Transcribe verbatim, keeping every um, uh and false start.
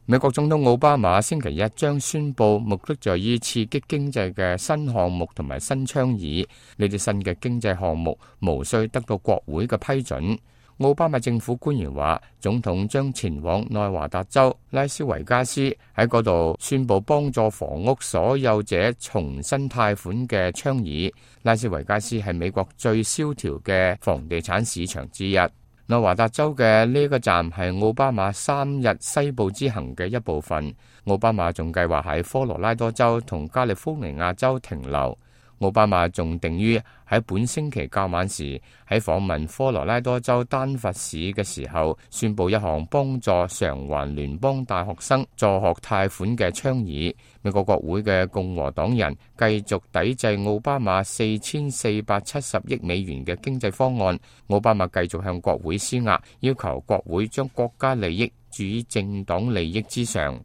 美國總統奧巴馬星期一將宣布目的在於刺激經濟嘅新項目同埋新倡議，呢啲新嘅經濟項目無需得到國會嘅批准。奧巴馬政府官員話，總統將前往內華達州拉斯維加斯，喺嗰度宣布幫助房屋所有者重新貸款嘅倡議。拉斯維加斯係美國最蕭條嘅房地產市場之一。內華達州嘅呢個站係奧巴馬三日西部之行嘅一部分。奧巴馬仲計劃喺科羅拉多州同加利福尼亞州停留。奧巴馬仲定於喺本星期較晚時喺訪問科羅拉多州丹佛市嘅時候，宣布一項幫助償還聯邦大學生助學貸款嘅倡議。美國國會嘅共和黨人繼續抵制奧巴馬四千四百七十億美元嘅經濟方案。奧巴馬繼續向國會施壓，要求國會將國家利益置於政黨利益之上。